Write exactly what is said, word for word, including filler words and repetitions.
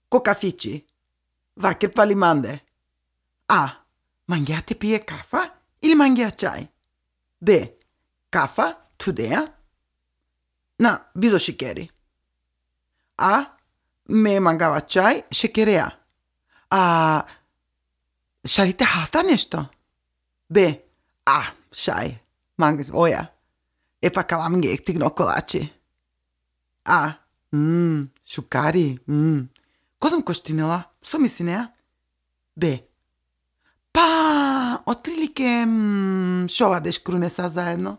Ko kafići. Vaker pa li mande? A. Mangiate pije kafa ili mangia čaj? B. Kafa, čudeja? Na, bizo šikeri. A. Me mangava čaj, šekereja. A. Šalite hasta nešto? B. A. Šaj. Mang, oja. E pa kalamge tigno kolači. A. Mmm, šukari. Mmm. Ko sam koštinila? Što misli ne? B. Pa, otprilike mm, šovardeš krune sa zajedno.